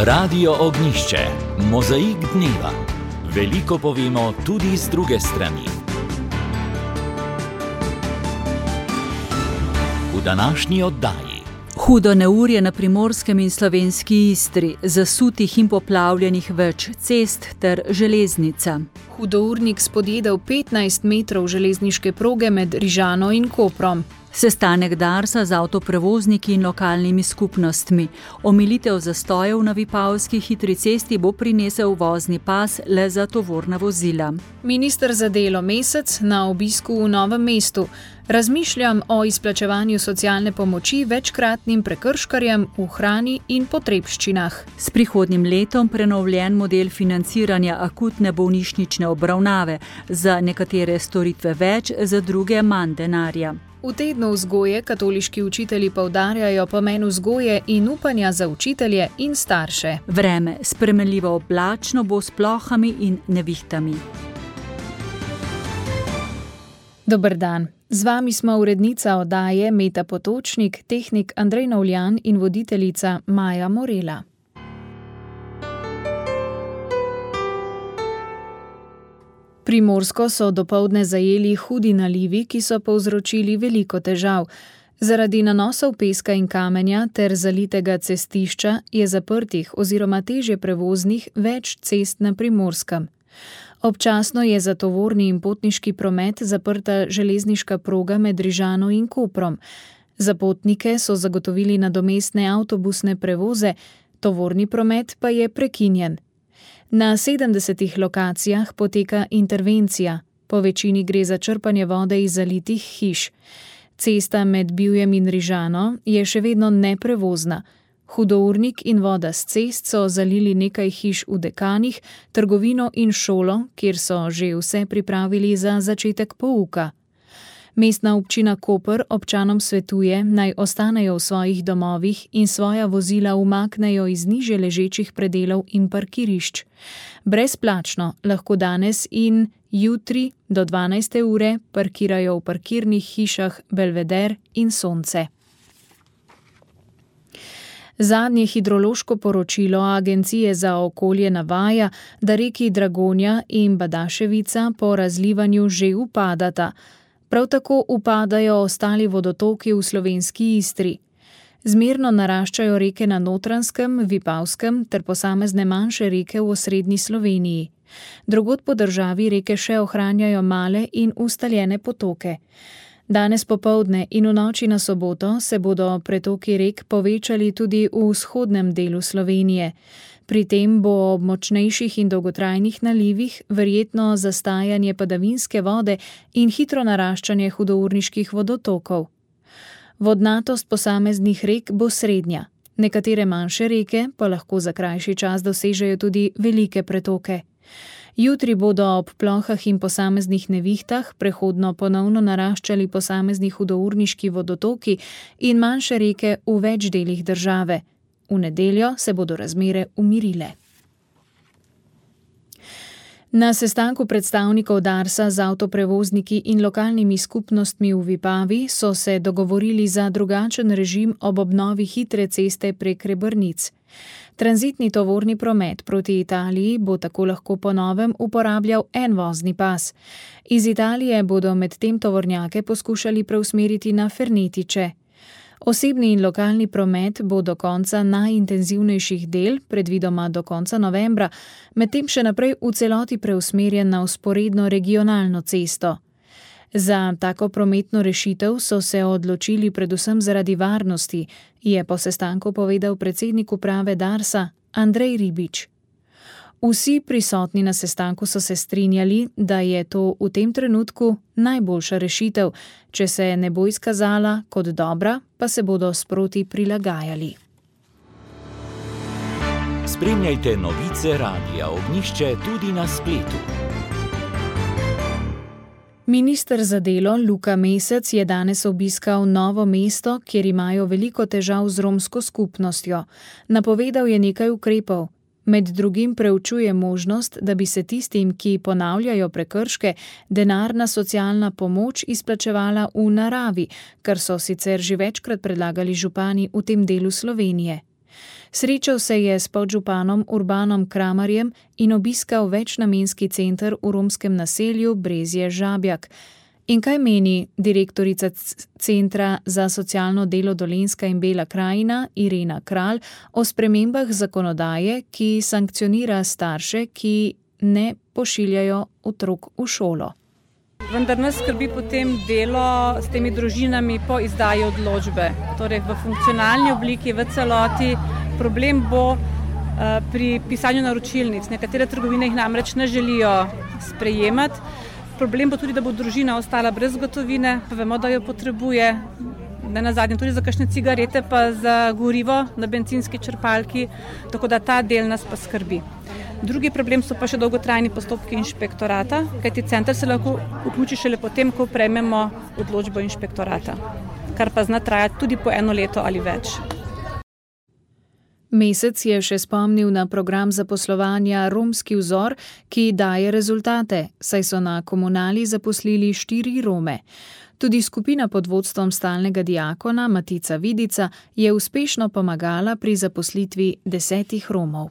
Radio Ognjišče, mozaik dneva. Veliko povemo tudi z druge strani. V današnji oddaji. Hudo neurje na Primorskem in slovenski Istri, zasutih in poplavljenih več cest ter železnica. Hudournik spodjedel 15 metrov železniške proge med Rižano in Koprom. Sestanek Darsa z avtoprevozniki in lokalnimi skupnostmi. Omilitev zastojev na Vipavski hitri cesti bo prinesel vozni pas le za tovorna vozila. Minister za delo Mesec na obisku v Novem mestu. Razmišljam o izplačevanju socialne pomoči večkratnim prekrškarjem v hrani in potrebščinah. S prihodnjim letom prenovljen model financiranja akutne bolnišnične obravnave. Za nekatere storitve več, za druge manj denarja. V tednu vzgoje katoliški učitelji poudarjajo pomen vzgoje in upanja za učitelje in starše. Vreme spremenljivo oblačno bo s plohami in nevihtami. Dober dan. Z vami smo urednica oddaje Meta Potočnik, tehnik Andrej Novljan in voditeljica Maja Morela. Primorsko so dopoldne zajeli hudi nalivi, ki so povzročili veliko težav. Zaradi nanosov peska in kamenja ter zalitega cestišča je zaprtih oziroma težje prevoznih več cest na Primorskem. Občasno je za tovorni in potniški promet zaprta železniška proga med Rižano in Koprom. Za potnike so zagotovili nadomestne avtobusne prevoze, tovorni promet pa je prekinjen. Na 70 lokacijah poteka intervencija, po večini gre za črpanje vode iz zalitih hiš. Cesta med Bivjem in Rižano je še vedno neprevozna. Hudournik in voda s cest so zalili nekaj hiš v Dekanih, trgovino in šolo, kjer so že vse pripravili za začetek pouka. Mestna občina Koper občanom svetuje, naj ostanejo v svojih domovih in svoja vozila umaknejo iz nižje ležečih predelov in parkirišč. Brezplačno lahko danes in jutri do 12. ure parkirajo v parkirnih hišah Belveder in Sonce. Zadnje hidrološko poročilo Agencije za okolje navaja, da reki Dragonja in Badaševica po razlivanju že upadata. Prav tako upadajo ostali vodotoki v slovenski Istri. Zmerno naraščajo reke na Notranjskem, Vipavskem ter posamezne manjše reke v osrednji Sloveniji. Drugod po državi reke še ohranjajo male in ustaljene potoke. Danes popoldne in v noči na soboto se bodo pretoki rek povečali tudi v vzhodnem delu Slovenije. Pri tem bo ob močnejših in dolgotrajnih nalivih verjetno zastajanje padavinske vode in hitro naraščanje hudourniških vodotokov. Vodnatost posameznih rek bo srednja. Nekatere manjše reke pa lahko za krajši čas dosežejo tudi velike pretoke. Jutri bodo ob plohah in posameznih nevihtah prehodno ponovno naraščali posamezni hudourniški vodotoki in manjše reke v več delih države. V nedeljo se bodo razmere umirile. Na sestanku predstavnikov Darsa z avtoprevozniki in lokalnimi skupnostmi v Vipavi so se dogovorili za drugačen režim ob obnovi hitre ceste prek Rebrnic. Tranzitni tovorni promet proti Italiji bo tako lahko po novem uporabljal en vozni pas. Iz Italije bodo medtem tovornjake poskušali preusmeriti na Fernetiče. Osebni in lokalni promet bo do konca najintenzivnejših del, predvidoma do konca novembra, medtem še naprej v celoti preusmerjen na vzporedno regionalno cesto. Za tako prometno rešitev so se odločili predvsem zaradi varnosti, je po sestanku povedal predsednik uprave Darsa Andrej Ribič. Vsi prisotni na sestanku so se strinjali, da je to v tem trenutku najboljša rešitev, če se ne bo izkazala kot dobra, pa se bodo sproti prilagajali. Spremljajte novice Radia Ognjišče tudi na spletu. Minister za delo Luka Mesec je danes obiskal Novo mesto, kjer imajo veliko težav z romsko skupnostjo. Napovedal je nekaj ukrepov. Med drugim preučuje možnost, da bi se tistim, ki ponavljajo prekrške, denarna socialna pomoč izplačevala v naravi, kar so sicer že večkrat predlagali župani v tem delu Slovenije. Srečal se je s podžupanom Urbanom Kramarjem in obiskal večnamenski center v romskem naselju Brezje Žabjak. In kaj meni direktorica Centra za socialno delo Dolenjska in Bela krajina Irena Kralj o spremembah zakonodaje, ki sankcionira starše, ki ne pošiljajo otrok v šolo? Vendar nas skrbi potem delo s temi družinami po izdaji odločbe. Torej v funkcionalni obliki, v celoti. Problem bo pri pisanju naročilnic. Nekatere trgovine jih namreč ne želijo sprejemati. Problem bo tudi, da bo družina ostala brez gotovine, pa vemo, da jo potrebuje, ne nazadnje tudi za kakšne cigarete, pa za gorivo na bencinski črpalki, tako da ta del nas pa skrbi. Drugi problem so pa še dolgotrajni postopki inšpektorata, kajti center se lahko vključi šele potem, ko prejmemo odločbo inšpektorata, kar pa zna trajati tudi po 1 leto ali več. Mesec je še spomnil na program zaposlovanja Romski vzor, ki daje rezultate, saj so na komunali zaposlili 4 Rome. Tudi skupina pod vodstvom stalnega diakona Matica Vidica je uspešno pomagala pri zaposlitvi 10 Romov.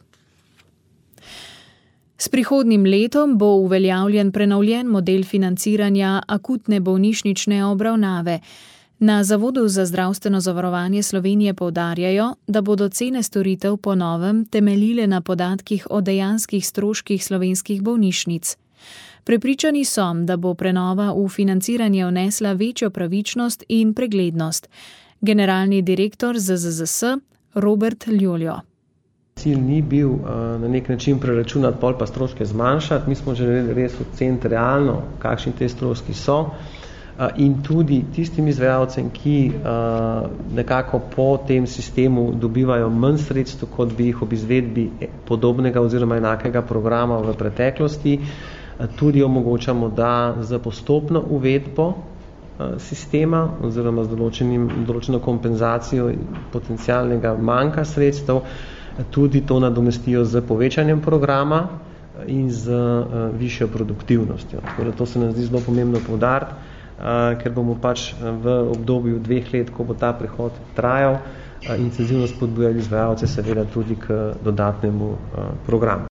S prihodnjim letom bo uveljavljen prenovljen model financiranja akutne bolnišnične obravnave. Na Zavodu za zdravstveno zavarovanje Slovenije poudarjajo, da bodo cene storitev po novem temeljile na podatkih o dejanskih stroških slovenskih bolnišnic. Prepričani so, da bo prenova v financiranje vnesla večjo pravičnost in preglednost. Generalni direktor ZZZS Robert Ljoljo. Cilj ni bil na nek način preračunati, pol pa stroške zmanjšati. Mi smo želeli res oceniti realno, kakšni te stroški so. In tudi tistim izvajalcem, ki nekako po tem sistemu dobivajo manj sredstev, kot bi jih ob izvedbi podobnega oziroma enakega programa v preteklosti, tudi omogočamo, da za postopno uvedbo sistema oziroma z določeno kompenzacijo potencialnega manjka sredstev tudi to nadomestijo z povečanjem programa in z višjo produktivnostjo. Tako da to se nam zdi zelo pomembno poudariti, ker bomo pač v obdobju 2 let, ko bo ta prehod trajal, intenzivno spodbujali izvajalce seveda tudi k dodatnemu programu.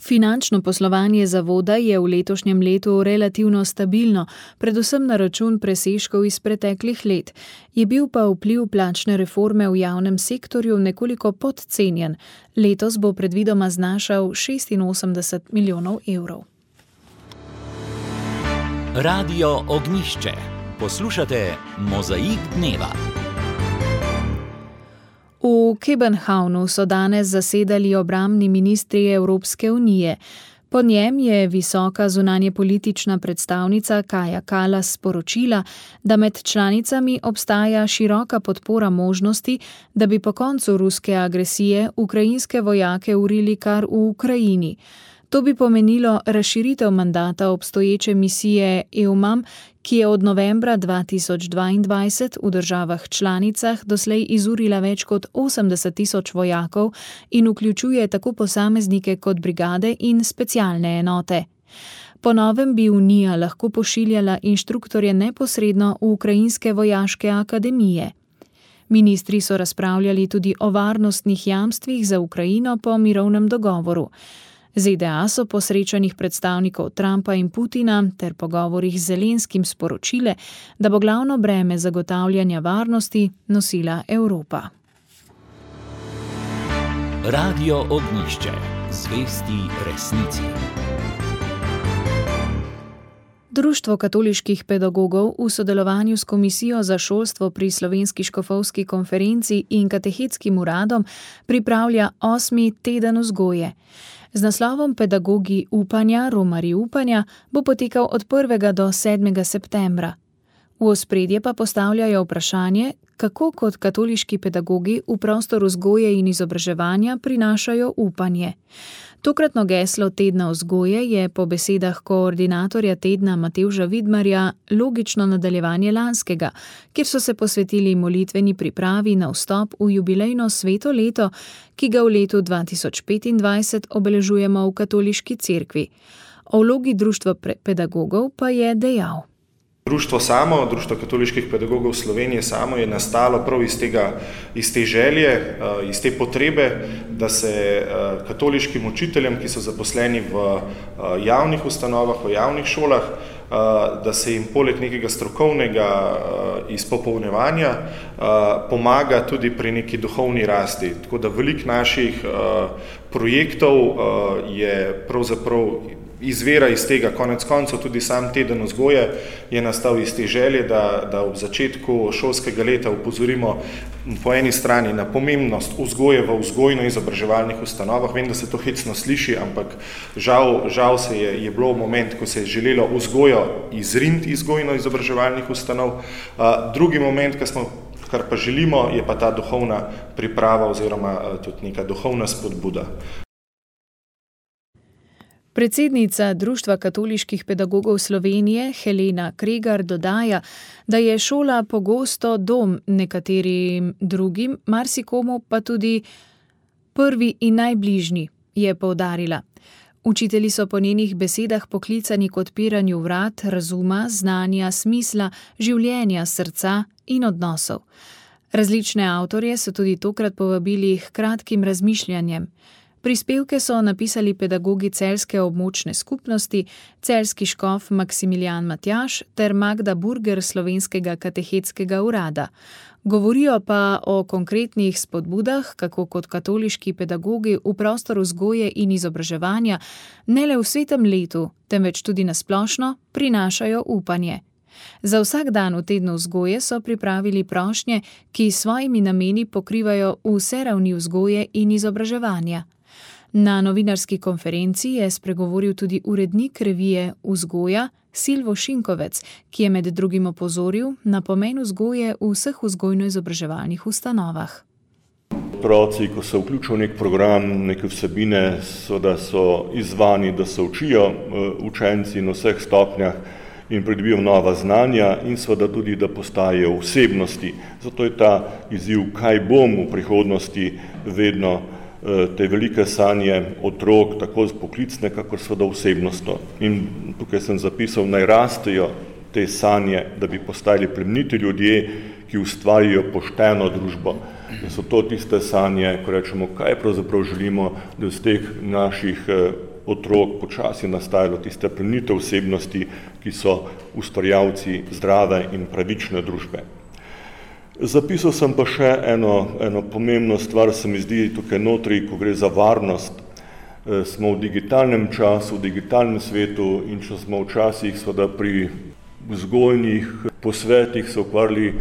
Finančno poslovanje zavoda je v letošnjem letu relativno stabilno, predvsem na račun presežkov iz preteklih let. Je bil pa vpliv plačne reforme v javnem sektorju nekoliko podcenjen. Letos bo predvidoma znašal 86 milijonov evrov. Radio Ognjišče. Poslušate Mozaik dneva. V Kopenhavnu so danes zasedali obrambni ministri Evropske unije. Po njem je visoka zunanjepolitična predstavnica Kaja Kallas sporočila, da med članicami obstaja široka podpora možnosti, da bi po koncu ruske agresije ukrajinske vojake urili kar v Ukrajini. To bi pomenilo razširitev mandata obstoječe misije EUMAM, ki je od novembra 2022 v državah članicah doslej izurila več kot 80.000 vojakov in vključuje tako posameznike kot brigade in specialne enote. Po novem bi Unija lahko pošiljala inštruktorje neposredno v ukrajinske vojaške akademije. Ministri so razpravljali tudi o varnostnih jamstvih za Ukrajino po mirovnem dogovoru. ZDA so po srečanjih predstavnikov Trumpa in Putina ter pogovorih z Zelenskim sporočile, da bo glavno breme zagotavljanja varnosti nosila Evropa. Radio Ognjišče. Zvesti resnici. Društvo katoliških pedagogov v sodelovanju s Komisijo za šolstvo pri Slovenski škofovski konferenci in Katehetskim uradom pripravlja 8. teden vzgoje. Z naslovom Pedagogi upanja, romarji upanja bo potekal od 1. do 7. septembra. V ospredje pa postavljajo vprašanje, kako kot katoliški pedagogi v prostor vzgoje in izobraževanja prinašajo upanje. Tokratno geslo tedna vzgoje je po besedah koordinatorja tedna Matevža Vidmarja logično nadaljevanje lanskega, kjer so se posvetili molitveni pripravi na vstop v jubilejno sveto leto, ki ga v letu 2025 obeležujemo v katoliški cerkvi. O vlogi društva pedagogov pa je dejal. Društvo samo, Društvo katoliških pedagogov Slovenije samo je nastalo prav iz te želje, iz te potrebe, da se katoliškim učiteljem, ki so zaposleni v javnih ustanovah, v javnih šolah, da se jim poleg nekega strokovnega izpopolnjevanja pomaga tudi pri neki duhovni rasti. Tako da veliko naših projektov je pravzaprav izvira iz tega. Konec koncev tudi sam teden vzgoje je nastal iz te želje, da ob začetku šolskega leta upozorimo po eni strani na pomembnost vzgoje v vzgojno-izobraževalnih ustanovah. Vem, da se to hecno sliši, ampak žal se je bilo moment, ko se je želelo vzgojo izriniti iz vzgojno-izobraževalnih ustanov. Drugi moment, kar pa želimo, je pa ta duhovna priprava oziroma tudi neka duhovna spodbuda. Predsednica Društva katoliških pedagogov Slovenije Helena Kregar dodaja, da je šola pogosto dom nekaterim drugim, marsikomu pa tudi prvi in najbližji, je poudarila. Učitelji so po njenih besedah poklicani k odpiranju vrat, razuma, znanja, smisla, življenja, srca in odnosov. Različne avtorje so tudi tokrat povabili k kratkim razmišljanjem. Prispevke so napisali pedagogi celjske območne skupnosti, celjski škof Maksimilijan Matjaž ter Magda Burger Slovenskega katehetskega urada. Govorijo pa o konkretnih spodbudah, kako kot katoliški pedagogi v prostor vzgoje in izobraževanja ne le v svetem letu, temveč tudi na splošno prinašajo upanje. Za vsak dan v tednu vzgoje so pripravili prošnje, ki s svojimi nameni pokrivajo vse ravni vzgoje in izobraževanja. Na novinarski konferenci je spregovoril tudi urednik revije Vzgoja Silvo Šinkovec, ki je med drugim opozoril na pomen vzgoje v vseh vzgojno-izobraževalnih ustanovah. Otroci, ko se vključijo v nek program, neke vsebine, da so izzvani, da se učijo učenci na vseh stopnjah in pridobijo nova znanja in seveda tudi, da postajajo osebnosti. Zato je ta izziv, kaj bom v prihodnosti, vedno te velike sanje otrok, tako poklicne, kakor seveda osebnostno. In tukaj sem zapisal, naj rastejo te sanje, da bi postali plemeniti ljudje, ki ustvarjajo pošteno družbo. In so to tiste sanje, ko rečemo, kaj pravzaprav želimo, da iz teh naših otrok počasi nastajalo tiste plemenite osebnosti, ki so ustvarjalci zdrave in pravične družbe. Zapisal sem pa še eno pomembno stvar, se mi zdi tukaj notri, ko gre za varnost. Smo v digitalnem času, v digitalnem svetu in če smo včasih seveda pri vzgojnih posvetih se ukvarjali,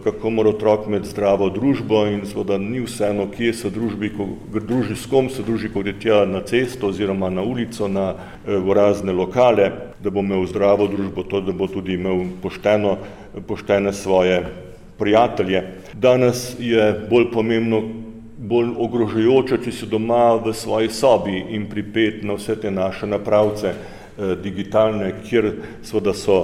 kako mora otrok imeti zdravo družbo in seveda ni vseeno, kje se družbi, s kom se druži, ko gre tja na cesto oziroma na ulico, v razne lokale, da bo imel zdravo družbo, to, da bo tudi imel poštene svoje prijatelje. Danes je bolj pomembno, bolj ogrožajoče, če si doma v svoji sobi in pripet na vse te naše napravce digitalne, kjer seveda so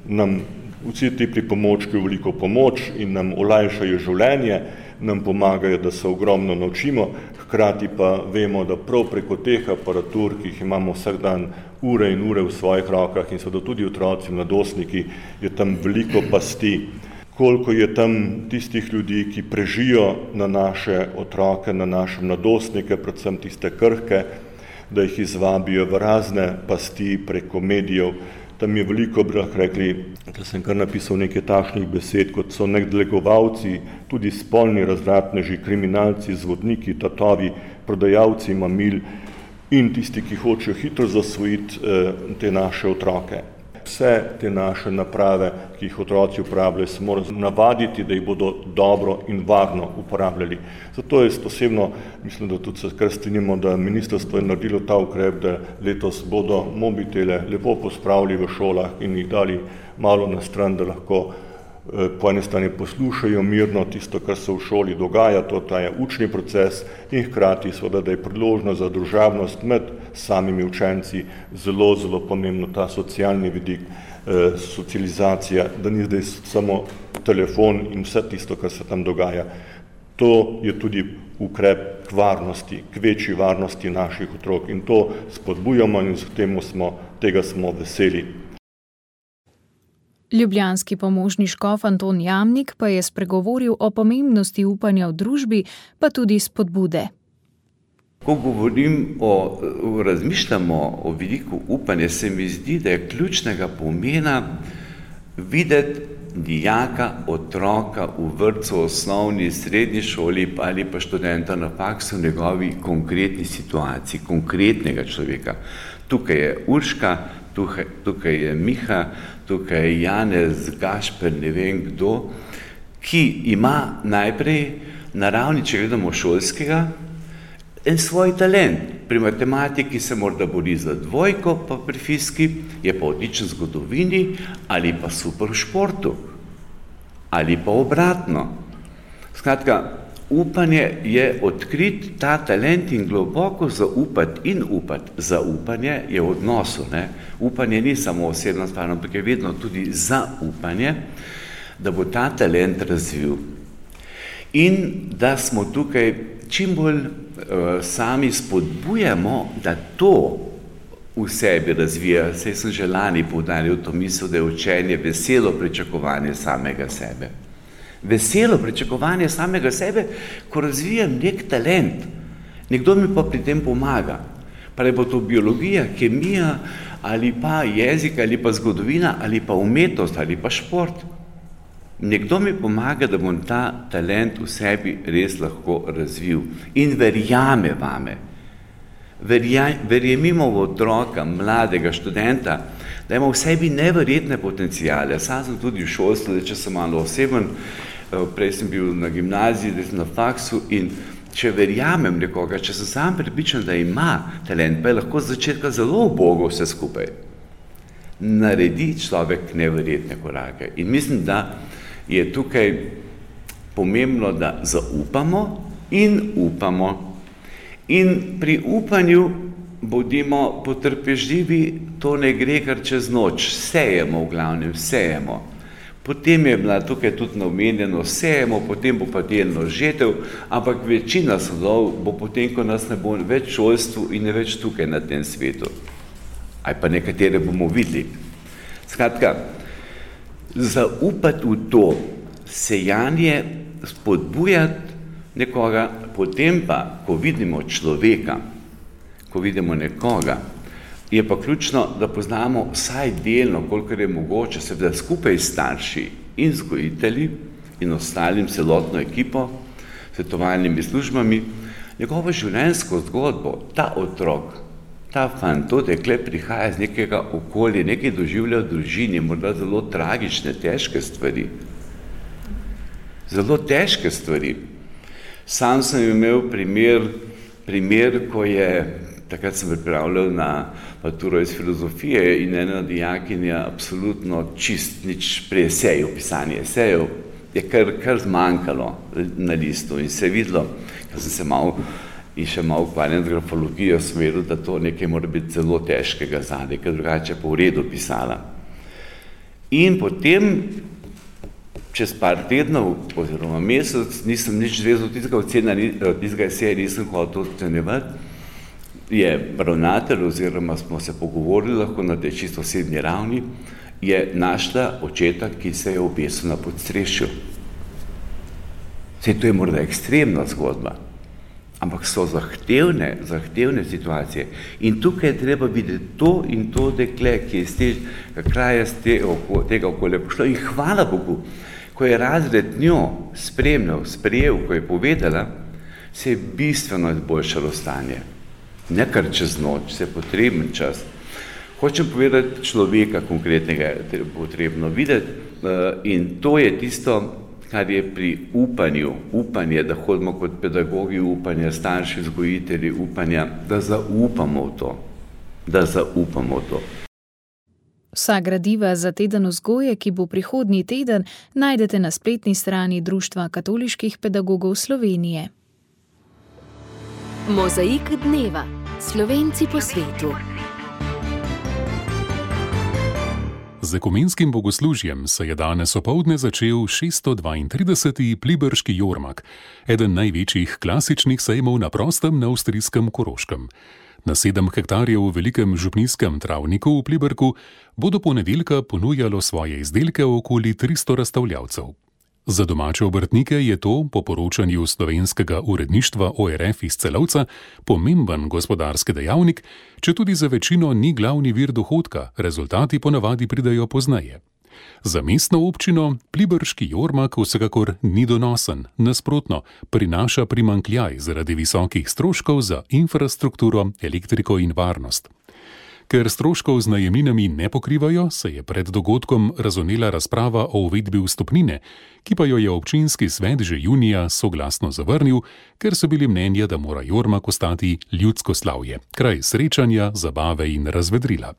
nam vsi ti pripomočki veliko pomoč in nam olajšajo življenje, nam pomagajo, da se ogromno naučimo, hkrati pa vemo, da prav preko teh aparatur, ki jih imamo vsak dan ure in ure v svojih rokah in seveda tudi otroci, mladostniki, je tam veliko pasti. Koliko je tam tistih ljudi, ki prežijo na naše otroke, na naše mladostnike, predvsem tiste krhke, da jih izvabijo v razne pasti preko medijev. Tam je veliko, bi lahko rekli, da sem kar napisal nekaj takšnih besed, kot so nekdelegovalci, tudi spolni razvratneži, kriminalci, zvodniki, tatovi, prodajalci mamil in tisti, ki hočejo hitro zasvojiti te naše otroke. Vse te naše naprave, ki jih otroci uporabljajo, se morajo navaditi, da jih bodo dobro in varno uporabljali. Zato jaz osebno mislim, da tudi se kar strinjamo, da ministrstvo je naredilo ta ukrep, da letos bodo mobitele lepo pospravili v šolah in jih dali malo na stran, da lahko po eni strani poslušajo mirno tisto, kar se v šoli dogaja, to je učni proces in hkrati seveda, da je priložnost za družabnost med samimi učenci zelo, zelo pomembno, ta socialni vidik, socializacija, da ni zdaj samo telefon in vse tisto, kar se tam dogaja. To je tudi ukrep k varnosti, k večji varnosti naših otrok in to spodbujamo in tega smo veseli. Ljubljanski pomožni škof Anton Jamnik pa je spregovoril o pomembnosti upanja v družbi, pa tudi spodbude. Ko razmišljamo o vidiku upanja, se mi zdi, da je ključnega pomena videti dijaka, otroka v vrtcu, osnovni, srednji šoli ali pa študenta na faksu v njegovi konkretni situaciji, konkretnega človeka. Tukaj je Urška, tukaj je Miha, tukaj je Janez, Gašper, ne vem kdo, ki ima najprej na ravni, če gledamo šolskega, en svoj talent. Pri matematiki se morda bori za dvojko, pa pri fiziki je pa odličen v zgodovini ali pa super v športu. Ali pa obratno. Skratka, upanje je odkrit ta talent in globoko zaupati in upati. Zaupanje je v odnosu. Upanje ni samo osebna stvar, ampak je vedno tudi zaupanje, da bo ta talent razvil. In da smo tukaj čim bolj sami spodbujamo, da to v sebi razvija. Saj sem že lani poudaril to misel, da je učenje veselo pričakovanje samega sebe. Veselo pričakovanje samega sebe, ko razvijam nek talent. Nekdo mi pa pri tem pomaga. Pa ne bo to biologija, kemija, ali pa jezik, ali pa zgodovina, ali pa umetnost, ali pa šport. Nekdo mi pomaga, da bom ta talent v sebi res lahko razvil in verjame vame. Verjemimo v otroka, mladega študenta, da ima v sebi neverjetne potencijale. Sam sem tudi v šolstvu, če sem malo oseben, prej sem bil na gimnaziji, zdaj sem na faksu in če verjamem nekoga, če sem sam prepričan, da ima talent, pa je lahko z začetka zelo ubogo vse skupaj. Naredi človek neverjetne korake. In mislim, da je tukaj pomembno, da zaupamo in upamo. In pri upanju bodimo potrpežljivi, to ne gre kar čez noč. Sejemo v glavnem, sejemo. Potem je bila tukaj tudi omenjeno, sejemo, potem bo pa delno žetev, ampak večina sadov bo potem, ko nas ne bo več v šolstvu in ne več tukaj na tem svetu. Ali pa nekatere bomo videli. Skratka, zaupati v to, sejanje, spodbujati nekoga, potem pa, ko vidimo človeka, ko vidimo nekoga, je pa ključno, da poznamo vsaj delno, kolikor je mogoče, seveda skupaj s starši in vzgojitelji in ostalim celotno ekipo, svetovalnimi službami, njegovo življenjsko zgodbo, ta otrok, ta fant, to dekle prihaja iz nekega okolja, nekaj doživlja v družini, morda zelo tragične, težke stvari. Zelo težke stvari. Sam sem imel primer, ko je, takrat sem pripravljal na maturo iz filozofije in ena dijakinja absolutno čist nič pri eseju, pisanje esejev, je kar zmanjkalo na listu in se je videlo, ker sem se še malo ukvarjal z grafologijo, sem vedel, da to nekaj mora biti zelo težkega zadaj, ker drugače pa v redu pisala. In potem, čez par tednov, oziroma mesec, nisem nič zvezal tistega eseja, nisem hotel ocenjevati, je ravnatelj, oziroma smo se pogovorili lahko na tej čisto osebni ravni, je našla očeta, ki se je obesil na podstrešju. Saj to je morda ekstremna zgodba, ampak so zahtevne situacije. In tukaj je treba videti to in to dekle, ki je iz tega kraja, tega okolja pošlo. In hvala Bogu, ko je razred njo sprejel, ko je povedala, se je bistveno izboljšalo stanje. Ne kar čez noč, se je potreben čas. Hočem povedati človeka konkretnega, je potrebno videti in to je tisto, kar je pri upanju, upanje, da hodimo kot pedagogi upanja, starši, vzgojitelji upanja, da zaupamo v to. Vsa gradiva za teden vzgoje, ki bo prihodnji teden, najdete na spletni strani Društva katoliških pedagogov Slovenije. Mozaik dneva. Slovenci po svetu. Z ekumenskim bogoslužjem se je danes opoldne začel 632. Pliberški jormak, eden največjih klasičnih sejmov na prostem na avstrijskem Koroškem. Na 7 hektarjev velikem župnijskem travniku v Pliberku bo do ponedeljka ponujalo svoje izdelke okoli 300 razstavljavcev. Za domače obrtnike je to, po poročanju slovenskega uredništva ORF iz Celovca, pomemben gospodarski dejavnik, četudi za večino ni glavni vir dohodka, rezultati ponavadi pridejo pozneje. Za mestno občino Pliberški jormak vsekakor ni donosen, nasprotno, prinaša primanjkljaj zaradi visokih stroškov za infrastrukturo, elektriko in varnost. Ker stroškov z najemninami ne pokrivajo, se je pred dogodkom razvnela razprava o uvedbi vstopnine, ki pa jo je občinski svet že junija soglasno zavrnil, ker so bili mnenja, da mora jormak ostati ljudsko slavje, kraj srečanja, zabave in razvedrila.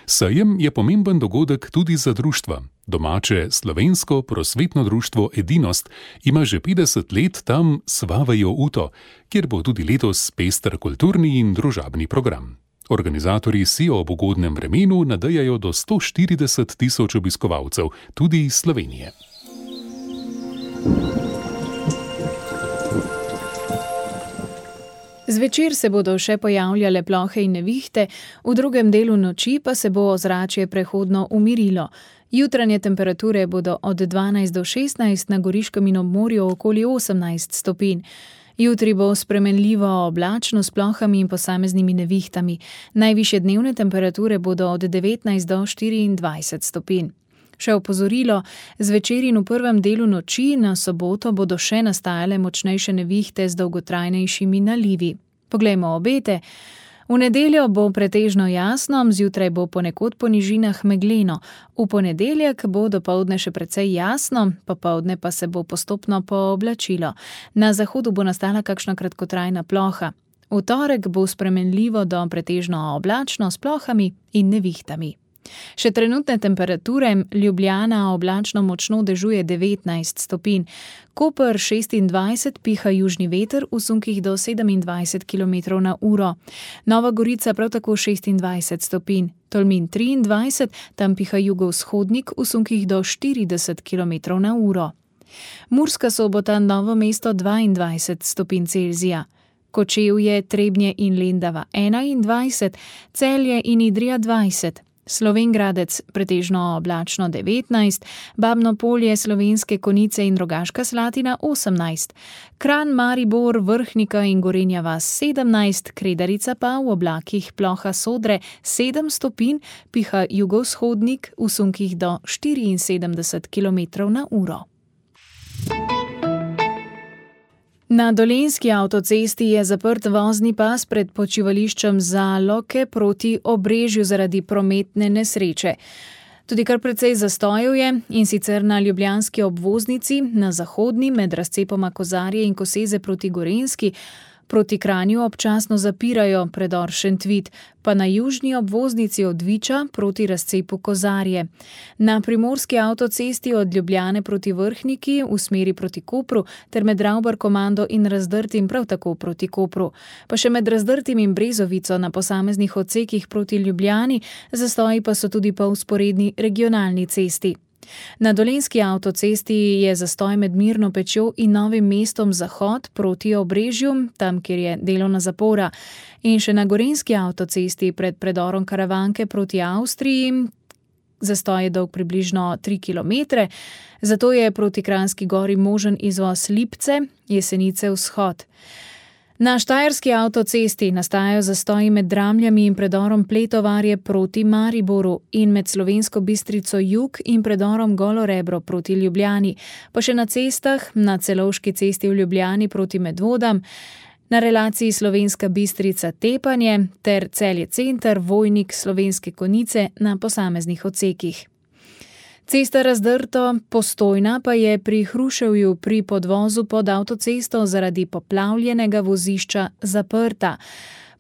Sejem je pomemben dogodek tudi za društva. Domače slovensko prosvetno društvo Edinost ima že 50 let tam Svavejo uto, kjer bo tudi letos pester kulturni in družabni program. Organizatorji si ob ugodnem vremenu nadejajo do 140 tisoč obiskovalcev, tudi iz Slovenije. Zvečer se bodo še pojavljale plohe in nevihte, v drugem delu noči pa se bo ozračje prehodno umirilo. Jutranje temperature bodo od 12 do 16, na Goriškem in ob morju okoli 18 stopinj. Jutri bo spremenljivo oblačno s plohami in posameznimi nevihtami. Najvišje dnevne temperature bodo od 19 do 24 stopinj. Še opozorilo, zvečer in v prvem delu noči na soboto bodo še nastajale močnejše nevihte z dolgotrajnejšimi nalivi. Poglejmo obete. V nedeljo bo pretežno jasno, zjutraj bo ponekod po nižinah megleno. V ponedeljek bo dopoldne še precej jasno, popoldne pa se bo postopno pooblačilo. Na zahodu bo nastala kakšna kratkotrajna ploha. V torek bo spremenljivo do pretežno oblačno s plohami in nevihtami. Še trenutne temperature: Ljubljana oblačno močno dežuje 19 stopinj, Koper 26, piha južni veter v sunkih do 27 km/h, Nova Gorica prav tako 26 stopinj, Tolmin 23, tam piha jugovzhodnik v sunkih do 40 km/h. Murska Sobota, Novo mesto 22 stopinj Celzija, Kočevje, Trebnje in Lendava 21, Celje in Idrija 20, Slovenj Gradec pretežno oblačno 19, Babno Polje, Slovenske Konjice in Rogaška Slatina 18, Kranj, Maribor, Vrhnika in Gorenja vas 17, Kredarica pa v oblakih ploha Sodre 7 stopinj, piha jugovzhodnik v sunkih do 74 km/h. Na Dolenjski avtocesti je zaprt vozni pas pred počivališčem Zaloke proti Obrežju zaradi prometne nesreče. Tudi kar precej zastojev je, in sicer na ljubljanski obvoznici, na zahodni med razcepoma Kozarje in Koseze proti Gorenjski, proti Kranju občasno zapirajo predor Šentvid, pa na južni obvoznici od Viča proti razcepu Kozarje. Na primorski avtocesti od Ljubljane proti Vrhniki v smeri proti Kopru ter med Ravbar-Komando in Razdrtim prav tako proti Kopru. Pa še med Razdrtim in Brezovico na posameznih odsekih proti Ljubljani, zastoji pa so tudi po vzporedni regionalni cesti. Na Dolenjski avtocesti je zastoj med Mirno Pečjo in Novim mestom Zahod proti Obrežju, tam kjer je delovna zapora. In še na Gorenjski avtocesti pred predorom Karavanke proti Avstriji, zastoj je dolg približno 3 km, zato je proti Kranjski Gori možen izvoz Lipce, Jesenice vzhod. Na štajerski avtocesti nastajajo zastoji med Dramljami in predorom Pletovarje proti Mariboru in med Slovensko Bistrico jug in predorom Golo Rebro proti Ljubljani, pa še na cestah, na Celovški cesti v Ljubljani proti Medvodam, na relaciji Slovenska Bistrica Tepanje ter Celje center, Vojnik, Slovenske Konjice na posameznih odsekih. Cesta Razdrto Postojna pa je pri Hruševju pri podvozu pod avtocesto zaradi poplavljenega vozišča zaprta.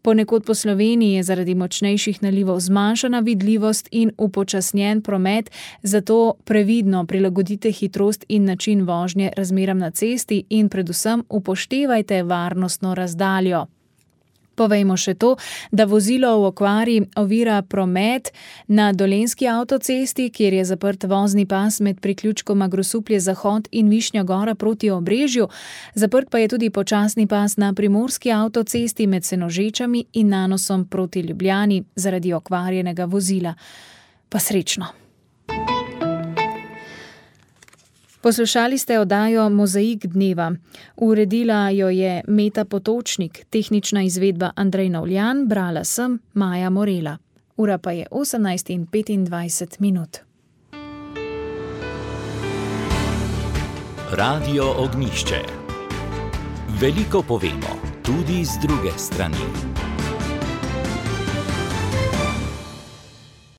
Ponekod po Sloveniji je zaradi močnejših nalivov zmanjšana vidljivost in upočasnjen promet, zato previdno prilagodite hitrost in način vožnje razmeram na cesti in predvsem upoštevajte varnostno razdaljo. Povejmo še to, da vozilo v okvari ovira promet na Dolenjski avtocesti, kjer je zaprt vozni pas med priključkoma Grosuplje Zahod in Višnja Gora proti Obrežju. Zaprt pa je tudi počasni pas na Primorski avtocesti med Senožečami in Nanosom proti Ljubljani zaradi okvarjenega vozila. Pa srečno. Poslušali ste oddajo Mozaik dneva. Uredila jo je Meta Potočnik, tehnična izvedba Andrej Novljan, brala sem Maja Morela. Ura pa je 18:25. Radio Ognjišče. Veliko povemo, tudi z druge strani.